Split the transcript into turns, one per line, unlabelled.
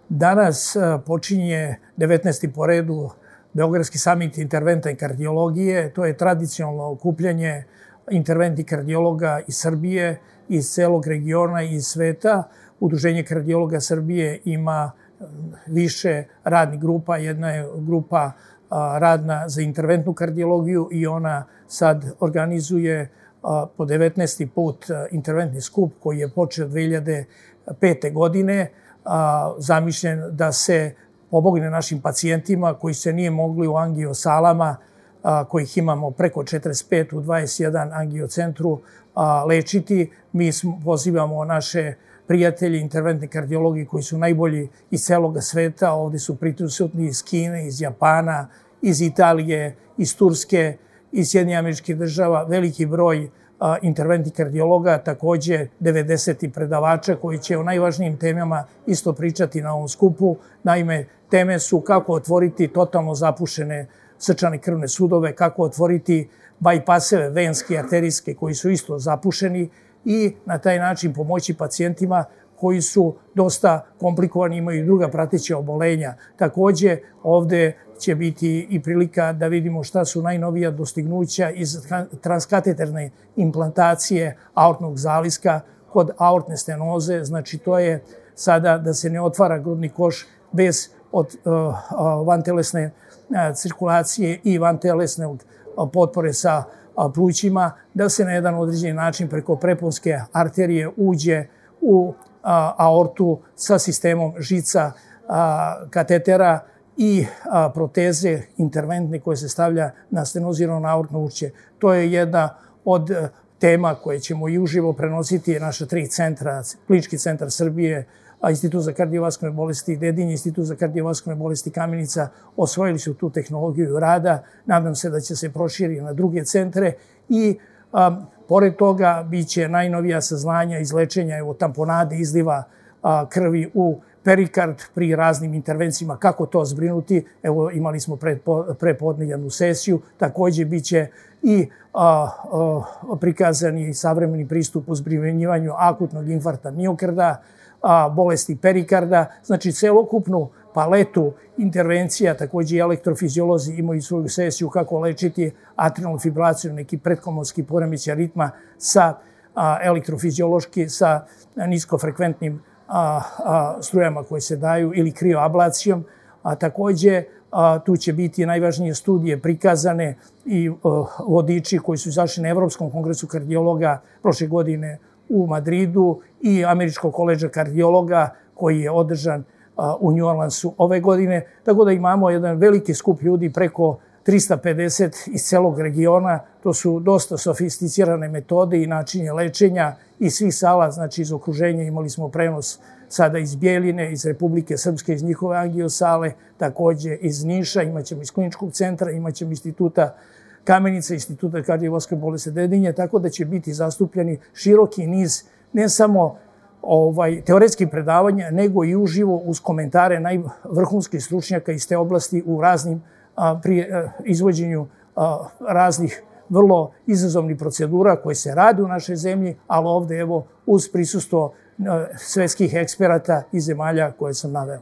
Danas počinje 19. po redu Beogradski samit interventne kardiologije. To je tradicionalno okupljanje interventnih kardiologa iz Srbije, iz celog regiona i iz sveta. Udruženje kardiologa Srbije ima više radnih grupa. Jedna je grupa radna za interventnu kardiologiju i ona sad organizuje po 19. put interventni skup koji je počeo 2005. godine, zamišljen da se pomogne našim pacijentima koji se nije mogli u angiosalama, kojih imamo preko 45 u 21 angiocentru, lečiti. Mi pozivamo naše prijatelji, interventni kardiologi koji su najbolji iz celog sveta. Ovde su prisutni iz Kine, iz Japana, iz Italije, iz Turske, iz Sjedinjenih Američkih Država, veliki broj interventnih kardiologa, takođe 90 predavača koji će o najvažnijim temama isto pričati na ovom skupu. Naime, teme su kako otvoriti totalno zapušene srčane krvne sudove, kako otvoriti bajpaseve venske i arterijske koji su isto zapušeni i na taj način pomoći pacijentima koji su dosta komplikovani, imaju i druga prateća obolenja. Takođe, ovde će biti i prilika da vidimo šta su najnovija dostignuća iz transkateterne implantacije aortnog zaliska kod aortne stenoze. Znači, to je sada da se ne otvara grudni koš bez vantelesne cirkulacije i vantelesne potpore sa plućima, da se na jedan određeni način preko preponske arterije uđe u aortu sa sistemom žica, katetera i proteze interventne koje se stavlja na stenozirano aortno ušće. To je jedna od tema koje ćemo i uživo prenositi naša 3 centra, Klinički centar Srbije, Institut za kardiovaskularne bolesti Dedinje, Institut za kardiovaskularne bolesti Kamenica, osvojili su tu tehnologiju rada. Nadam se da će se proširiti na druge centre i pored toga biće najnovija saznanja iz lečenja tamponade, izliva krvi u perikard pri raznim intervencijama, kako to zbrinuti. Evo, imali smo prepodnevnu sesiju. Takođe biće i prikazani savremeni pristup u zbrinjavanju akutnog infarkta miokarda, bolesti perikarda, znači celokupnu paletu intervencija. Takođe i elektrofiziolozi imaju svoju sesiju kako lečiti atrijalnu fibrilaciju, neki pretkomonski poremećaj ritma sa elektrofiziološki, sa niskofrekventnim strujama koje se daju ili krioablacijom. Takođe, tu će biti najvažnije studije prikazane i vodiči koji su izašli na Evropskom kongresu kardiologa prošle godine u Madridu i Američkog koledža kardiologa koji je održan u New Orleansu ove godine. Tako da imamo jedan veliki skup ljudi, preko 350 iz celog regiona. To su dosta sofisticirane metode i načine lečenja iz svih sala, znači iz okruženja. Imali smo prenos sada iz Bjeljine, iz Republike Srpske, iz njihove angiosale, takođe iz Niša, imaćemo iz Kliničkog centra, imaćemo Instituta Kamenica, Instituta kardiovaskularne bolesti Dedinje, tako da će biti zastupljeni široki niz ne samo teoretskih predavanja, nego i uživo uz komentare najvrhunskih stručnjaka iz te oblasti u raznim pri izvođenju raznih vrlo izazovnih procedura koje se rade u našoj zemlji, ali ovde evo uz prisustvo svetskih eksperata iz zemalja koje sam naveo.